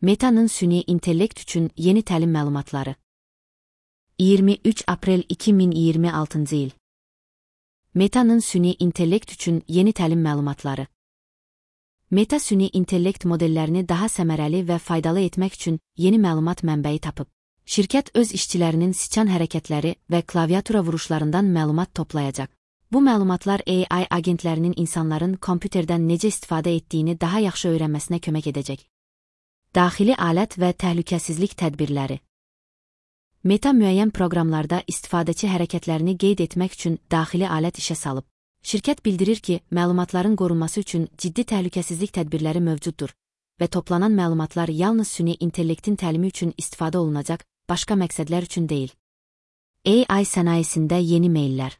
Meta'nın süni intellekt üçün yeni təlim məlumatları. 23 aprel 2026 il. Meta'nın süni intellekt üçün yeni təlim məlumatları. Meta süni intellekt modellərini daha səmərəli və faydalı etmək üçün yeni məlumat mənbəyi tapıb. Şirkət öz işçilərinin siçan hərəkətləri və klaviatura vuruşlarından məlumat toplayacaq. Bu məlumatlar AI agentlərinin insanların kompüterdən necə istifadə etdiyini daha yaxşı öyrənməsinə kömək edəcək. Daxili alət və təhlükəsizlik tədbirləri. Meta müəyyən proqramlarda istifadəçi hərəkətlərini qeyd etmək üçün daxili alət işə salıb. Şirkət bildirir ki, məlumatların qorunması üçün ciddi təhlükəsizlik tədbirləri mövcuddur və toplanan məlumatlar yalnız süni intellektin təlimi üçün istifadə olunacaq, başqa məqsədlər üçün deyil. AI sənayesində yeni meyllər.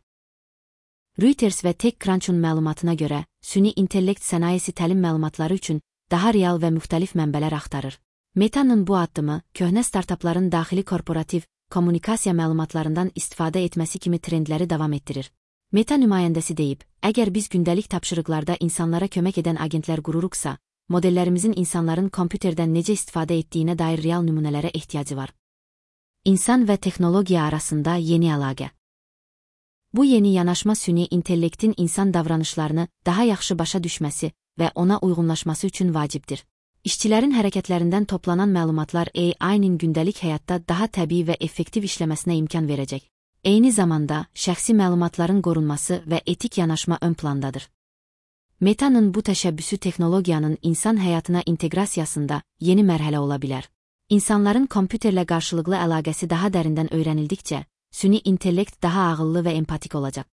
Reuters və TechCrunch'un məlumatına görə, süni intellekt sənayesi təlim məlumatları üçün daha real və müxtəlif mənbələr axtarır. Meta'nın bu addımı, köhnə startapların daxili korporativ, kommunikasiya məlumatlarından istifadə etməsi kimi trendləri davam etdirir. Meta nümayəndəsi deyib, əgər biz gündəlik tapşırıqlarda insanlara kömək edən agentlər qururuqsa, modellərimizin insanların kompüterdən necə istifadə etdiyinə dair real nümunələrə ehtiyacı var. İnsan və texnologiya arasında yeni əlaqə. Bu yeni yanaşma süni intellektin insan davranışlarını daha yaxşı başa düşməsi və ona uyğunlaşması üçün vacibdir. İşçilərin hərəkətlərindən toplanan məlumatlar AI-nin gündəlik həyatda daha təbii və effektiv işləməsinə imkan verəcək. Eyni zamanda, şəxsi məlumatların qorunması və etik yanaşma ön plandadır. Meta'nın bu təşəbbüsü texnologiyanın insan həyatına inteqrasiyasında yeni mərhələ ola bilər. İnsanların kompüterlə qarşılıqlı əlaqəsi daha dərindən öyrənildikcə, süni intellekt daha ağıllı və empatik olacaq.